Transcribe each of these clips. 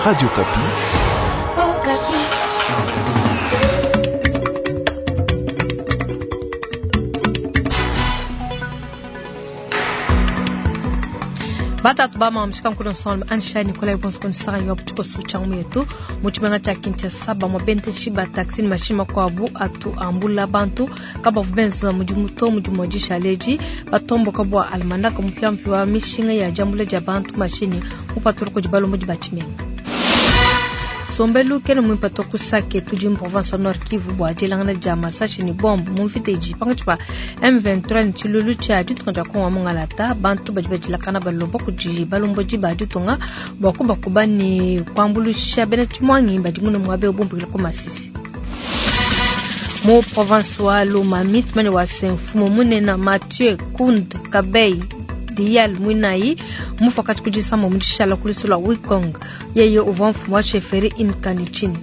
Radio Okapi. Batatu ba mamshika nkulu nsonga Ansha Nikolai Bonso yo butuko sucha yetu mu tshimenga tshia Kinshasa bamue bendeshi ba taxi ne mashinyi makuabu atu ambula bantu kabavu benza mudimu to mudimu wa dishaleji batomboka bua almanaka mupiamupia wa mishinga ya diambula dia bantu mashinyi mupatula kudi balombodi ba tshimenga. Sombelu kene muimpe to ku Sake tudi mu province wa Nord Kivu bua dielangana dia masashi ne bombe mu mvita idi pankatshi pa M23 ne tshilulu tshia ditunga dia Kongo wa Mungalata. Bantu badi badilakana balomba kudi balombodi ba ditunga bua kubakuba ne kuambuluisha bena tshimuangi badi mune muaba eu bumbukila ku Masisi. Mu province wa Lomami tumanye wa se mfumu munene Mathieu Kund Kabey Dial Mwinayi mufakati kudisama mu dishala ku lusu lua Wikong yeye uvua mfumu wa chefferie Inkanichini.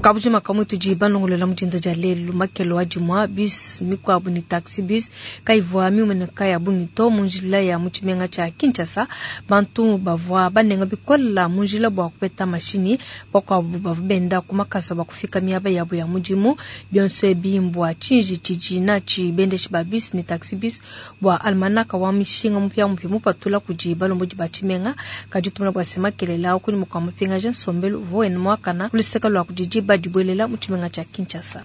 Kabujima kamwe tudi balongolola mudinda dia lelu makelo wa dimua bus mikuabu ne taxi bus kayivua miumeneka ya bungi to mu njila ya mu tshimenga tshia Kinshasa. Bantu bavua banenga bikola mu njila bua kupeta mashinyi, bakuabu bavua benda ku makasa bua kufika miaba yabo ya mudimu. Bionso ebi mbua tshinji tshidi natshi bendeshi ba bus ne taxi bus bua almanaka wa mishinga mupiamupia mupatula kudi balombodi ba tshimenga. Kadi tumona bua se makelela awu kunyima kua mupingaja nsombelu uvua wenda muakana ku luseke lua kudi diba dibuelela mu tshimenga tshia Kinshasa.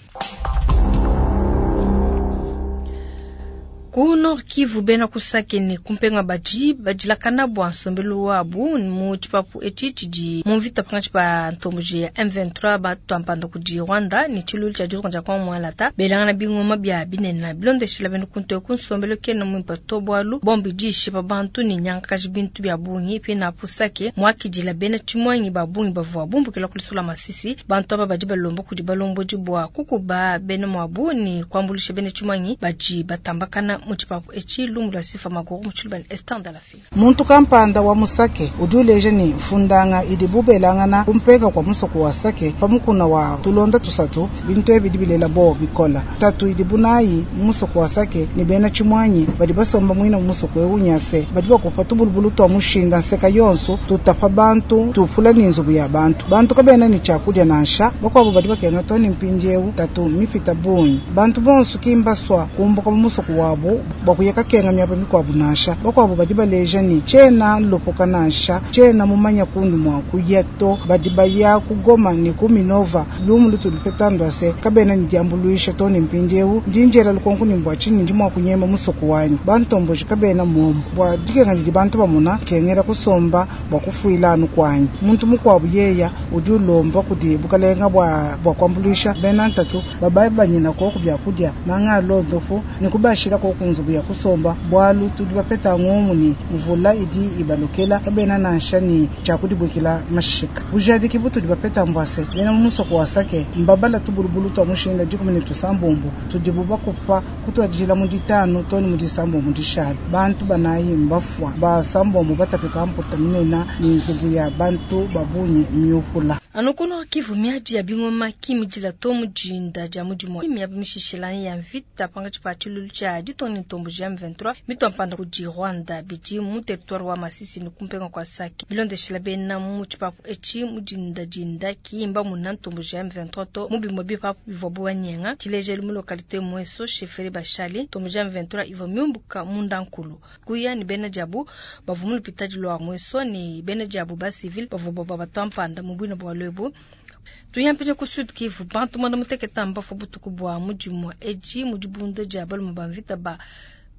Ku Nord Kivu bena ku Sake ne ku Mpenga badi badilakana bua nsombelu wabu mu tshipapu etshi tshidi mu mvita pankatshi pa ntomboji ya M23 batuampanda kudi Rwanda ne tshilulu tshia ditunga dia Kongo Mungalata belangana bingoma bia binene bilondeshila bena ku nteku nsombelu kena muimpe to bualu bombe idi ishipa bantu ne nyangakaji bintu bia bungi pinapu Sake muakidila bena tshimuangi ba bungi bavua bumbukila ku lusula Masisi. Bantu aba badi balomba kudi balombodi bua kukuba bena muabu ne kuambuluisha bena tshimuangi badi batambakana mu tshipapu etshi. Lumu lua Sifa Maguru mu tshiluba ne Esther Ndalafina. Muntu kampanda wa musake udi uleja ne mfundanga idi bubelangana kumpenga kwa musoko wa Sake pa mukuna wa tulonda tusatu bintu ebi bidi bilela bo bikola tatu idi bunayi mu musoko wa Sake ne bena tshimuanyi badi basomba muina mu musoko eu nyase badi bakupa tubulubulu twa mushinda nseka yonso tutapa bantu tupula ne nzubu ya bantu bantu kabena ne tshiakudia nansha bakuabu badi bakenga to ne mpindiewu tatu mipita bungi bantu bonso kimbaswa kumbuka mu musoko wabu bua kuya kakenga miaba mikuabu nansha bakuabu badi baleja ne tshiena nlopoka nansha tshiena mumanya kundi mua kuya to badi baya kugoma ne ku Minova lumu lutu lupeta ndwase kabena ne diambuluisha to ne mpindiewu ndi njela lukonko ne mbua tshinyi ndi mua kunyema musoko wanyi bantomboji kabena muomu bua dikenga didi bantu bamona kengela kusomba bua kufuila anu kwanyi muntu mukuabu yeya udi ulomba kudi bukalenga bua bua kuambuluisha bena ntatu babayi banyina koku byakudia manga alondofu ne kubashila koku nzubu ya kusomba bualu tudi bapeta ngomu ni mvula idi ibalokela kabena nansha ni tshiakudibwikila mashika bujadiki butudi bapeta mbwase bena mu musoko wa Sake mbabala tubulubulu twa mushinda 16 tudibu bakupa kutuadijila mu ditanu to ne mu disambombo dishala bantu banayi mbafua basambombo batapika mputa minena ni nzubu ya bantu babunyi miupula. Anu ku Nord Kivu miadi ya bingoma kimidila to mudinda dia mudimu miaba mishishila ya mvita pankatshi pa tshilulu tshia ditunga ne ntomboji ya M23 mituampanda kudi Rwanda bidi mu territoire wa Masisi ne kumpenga kwa Sake bilondeshela bena mu tshipapu etshi mudinda dinda kiyimba muna ntomboji ya M23 to mu bimue bipapu bivua bubanyenga tshilejelu mu localité Mweso chefferie Bashali ntomboji ya M23 ivua miumbuka munda nkulu kuya ne bena diabu bavua mu lupitadi lua Mweso ne bena diabu ba civil bavua batuampanda mu buina bua lwebu. Tuyampije ku Sud Kivu bantu mwanda muteketa mbafu butuku bua mudimu edi mu dibunda dia balume ba mvita ba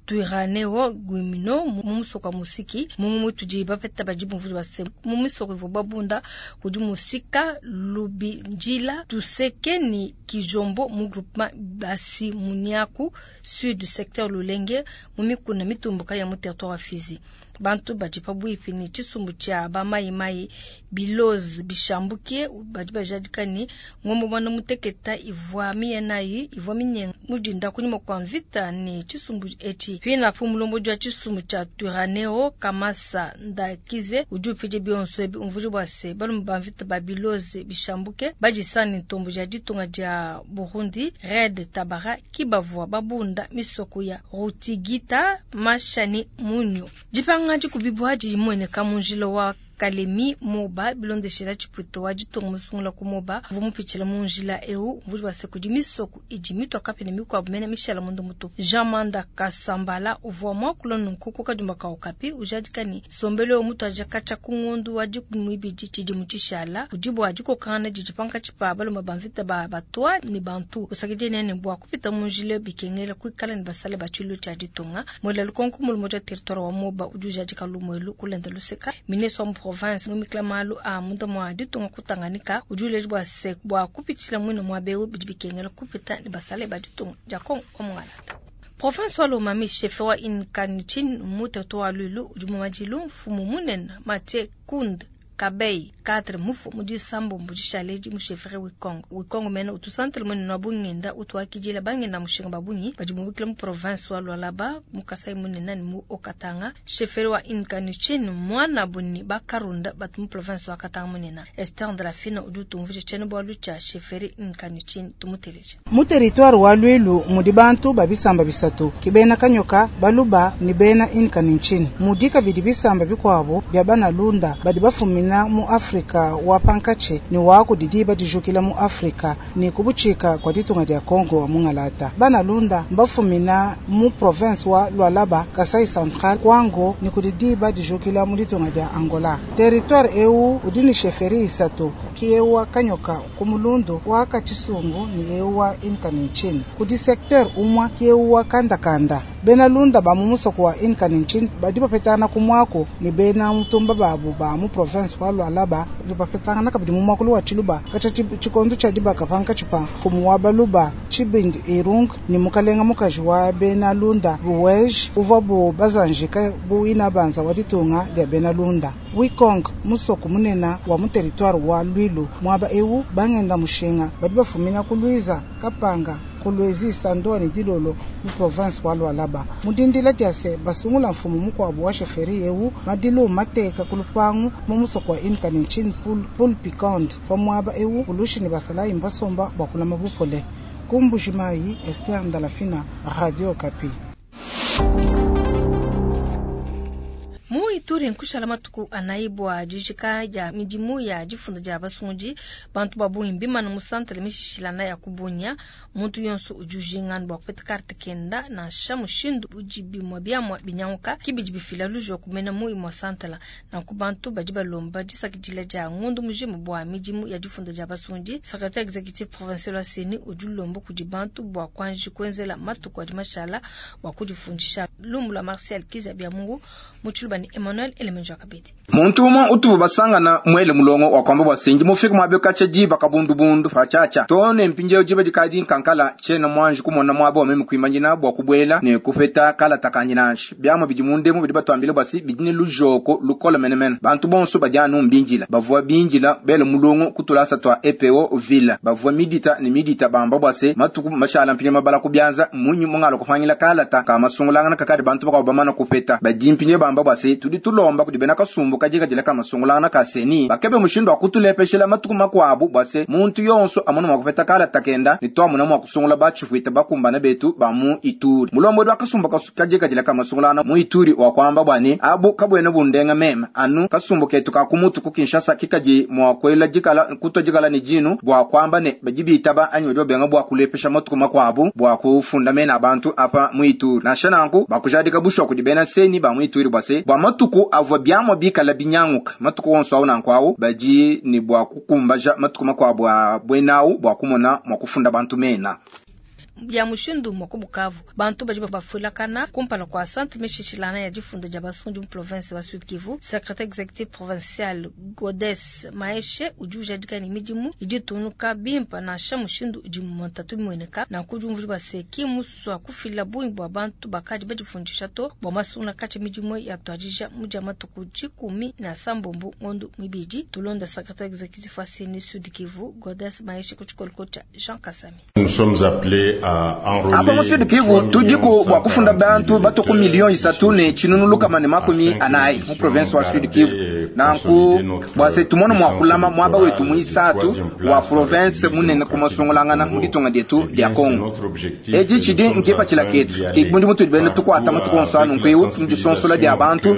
Twirwaneho Gumino mu musoko wa Musiki mu mutudi bapeta badi bumvudi base mu misoko ivua babunda kudi Musika Lubinjila Tuseke ni Kijombo mu groupement Basi Muniaku sud secteur Lulenge mu mikuna mitumbuka ya mu territoire wa Fizi. Bantu badi pabuipi ni tshisumbu tshia ba mai mai biloz bishambuke badi bajadika ni ngombo mwana muteketa ivua miyenayi ivua minyenga mudinda kunyima kwa mvita ni tshisumbu etshi. Burundi. Pinapu mulombodi wa tshisumbu tshia Twirwaneho Kamasa Ndakize udi upidia bionso ebi, umvuija bua se balume ba mvita ba biloze bishambuke badisanga ne ntomboji ya ditunga dia Burundi Red Tabara ki bavua babunda misoko ya Rutigita, Masha ne Munyu. Dipanga dikubibua didi dimueneka mu njila wa Kalemi Moba bilondeshela tshipuita wa ditunga musungula ku Moba uvua mupitshila mu njila eu, umvuija bua se kudi misoko idi mitua kapia ne mikuabu mene mishala munda mutupu. Jean Manda Kasambala uvua muakula nunku ku kadiomba ka Okapi, ujadika ne nsombelu eu mutuadija katshia ku ngondo wa 12 tshidimu tshishala udi bua dikokangana didi pankatshi pa balume ba mvita ba batwa ne bantu. Usakidila ne bua kupita mu njila bikengela kuikala ne basale ba tshiluilu tshia ditunga. Muela lukonko mulombodi wa territoire wa Moba udi ujadika lumu elu kulenda luseka. Ministre wa mu province muimikila malu a munda mua ditunga ku Tanganyika udi uleja bua se bua kupitshila muine muaba eu bidi bikengela kupita ne basale ba ditunga dia Congo wa mungalata. Province wa Lomami, chef wa Inkanichin mu territoire wa Luilu udi mu madilu. Mfumu munene Mathieu Kund Kabei 4 mufu mu disambombo dishaledi mu chefferie Wikongo. Wikongo mene utu centre munene wa bungenda utu wakidila bangenda mushinga ba bungi badi mubikila mu province wa Lualaba mu Kasai munene ne mu Haut-Katanga. Chefferie wa Inkanichin mwana buni bakarunda batu mu province wa Katanga munene. Esther Ndrafina udi utumvuija tshiena bualu tshia chefferie Inkanichin, tumuteleje. Mu territoire wa Luilu mudi bantu ba bisamba bisatu ki bena Kanyoka, Baluba ne bena Inkanichin. Mudi kabidi bisamba bikuabu bia bana Lunda badi bafumina mu Afrika wa pankatshi ne wa kudi diba dijukila mu Afrika ne kubutshika kwa ditunga dia Congo wa mungalata. Bana Lunda mbafumina mu province wa Lualaba, Kasai Central, Kwango ne kudi diba dijukila mu ditunga dia Angola. Territoire eu udi ne chefferie isatu ki eu wa Kanyoka ku Mulundu, wa Kachisungu ne eu wa Inkanichin. Kudi secteur umwa ki eu wa Kandakanda. Bena Lunda ba mu musoko wa Inkanichin badi bapetana ku mwako ne bena mutumba babu ba mu province wa Lualaba bapetangana kabidi mu mwakulu wa Tshiluba katshia tshikondo tshia dibaka pankatshi pa mfumu wa Baluba Tshibindi Irung ne mukalenga mukaji wa bena Lunda Ruwej uvua bu bazanjika bu inabanza wa ditunga dia bena Lunda. Wikong musoko munene wa mu territoire wa Luilu muaba eu bangenda mushinga badi bafumina ku Luiza Kapanga Kolwezi Sandoa ne Dilolo mu province wa Lualaba. Mudindila dia se basungula mfumu mukuabu wa chefferie eu madilu mateka ku lupangu mu musoko wa Inkanichin Pool Piquant pa muaba eu ulushi ne basalayi mbasomba bua kulama bupole. Ku Mbujimayi, Esther Ndalafina, Radio Okapi. Mu Ituri nkushala matuku anayi bua dijika dia midimu ya difunda dia basungundi bantu ba bungi mbimana mu centre mishishilana ya kubunya. Muntu yonso udi ujinga bua kupeta carte kenda nansha mushindu udi bimue biamua binyanguka kibidi bifila lujo kumena mu imue centre. Nanku bantu badi balomba disakidila dia ngondu mujima bua midimu ya difunda dia basungundi. Secrétaire exécutif provincial wa CENI udi ulomba kudi bantu bua kuanji kuenzela matuku adi mashala bua kudifundisha. Lumu lua Martial Kiza bia Mungu mu Tshiluba ni Emmanuel Elemenjo Kabedi. Muntu umwe utuvu basangana mwele mulongo wa kwamba bwa sinji mufika mwabe kacha jiba kabundubundu pachacha tone mpinjeo jiba dikadi nkankala chena mwanji kumona mwabo meme kuimanyina bwa kubwela ne kupeta kala takanyinanshi byamo bidimunde mu bidi batwambile basi bidine lujoko lukola menemene bantu bonso bajanu mbinjila bavua binjila bele mulongo kutulasa twa EPO villa bavua midita ne midita bamba bwase matuku mashala mpinye mabala kubyanza munyu mungalo kufanyila kala ta kama sungulangana kakadi bantu bakabamana kupeta badimpinye bamba bwase tudi tulomba kudi bena kasumbu kajika jila kama sungulangana kaseni bakebe mushindo akutulepeshela matuku makwabu bwase muntu yonso amona mwakupeta kala takenda ni twamuna mwakusungula bachifuita bakumbana betu ba mu Ituri mulombo wa kasumbu kajika jila kama sungulana mu Ituri wa kwamba bwani abu kabwene bundenga mema anu kasumbu ketu ka kumutu ku Kinshasa kikaji mwakwela jikala kutojikala ni jinu bwa kwamba ne bajibitaba anyi byo benga bwa kulepesha matuku makwabu bwa kufunda mena abantu apa mu Ituri na shananku bakujadika bushwa kudi bena seni ba mu Ituri bwase bwa matuku avwa byamwa bikala binyanguka matuku wonso awu nankwawu baji ni bwa kukumbaja matuku makwabu a bwenawu bwa kumona mwakufunda bantu mena ya mushindu mwa ku Bukavu bantu badi bafulakana kumpala kwa centre mishishilana ya difunda dia basundi mu province wa Sud Kivu. Secrétaire exécutif provincial Godes Maeshe udi ujadika ne midimu idi tunuka bimpa nansha mushindu udi muntatu mimueneka na kujumvuli baseki muswa kufila bungi bua bantu bakadi badifundisha to bua masungula kati midimu ya tuadija mudia matuku 17 ngondo mibidi. Tulonda secrétaire exécutif wa CENI Sud Kivu Godes Maeshe ku tshikolo cha Jean Kasami. Nous sommes appelés Apa mu Sud Kivu tudiku bua kufunda bantu batue ku miliyo 3 400 mu province wa Sud Kivu. Nanku bua se tumone mua kulama muaba wetu muisatu wa province munene ku masungulangana mu ditunga dietu dia Congo. Edi tshidi nkipatshila ketu ke mudimu tudi bena tukuata matuku onso anu nkuiwu mu disonsola dia bantu,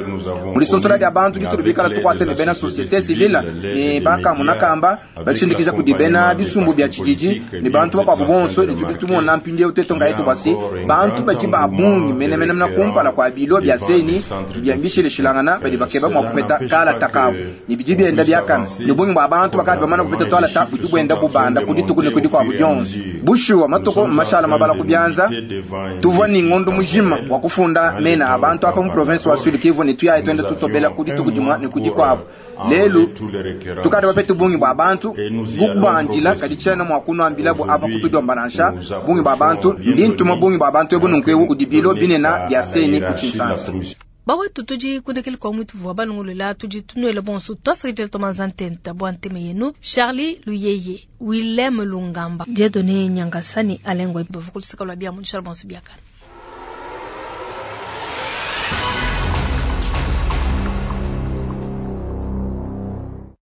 mu disonsola dia bantu ditudi bikala tukuata ne bena société civile ne bakamuna kamba bashindikiza kudi bena bisumbu bia tshididi ne bantu bakuabu bonso. Ne tudi tumona mpindieu twetu ngayetu bua se bantu badi ba bungi menemene na kumpala kua bilo bia CENI bia mbishilishilangana badi bakeba mua kupeta kalata kabu, ne bidi bienda biakana, ne bungi bua bantu bakadi bamana kupeta tualata budi buenda bubanda ku dituku ne ku dikuabu dionso. Bushuwa matuku mashala mabala ku bianza. Tuvua ni ngondo mujima wa kufunda mena a bantu apa mu province wa Sud Kivu, ne tuyaye tuenda tutobela ku dituku dimue ne ku dikuabu. Lelu tukadi bapete bungi bua bantu bukubandila, kadi tshiena mua kunuambila bu apa kutudiomba nansha bungi bua bantu. Ndi ntuma bungi bua bantu ebu nunku ebu kudi bilo binene bia CENI ku Tshinsansa. Bawetu, tudi kundekele kwa mwitu vua balongolola. Tudi tunuela bonso twasakidila tomanza ntenta bua ntema yenu. Charlie Luyeye, Willem Lungamba, Dieudonné Nyangasani, Alengwe bavukulusaka lwa bia mundishala bonso biakana.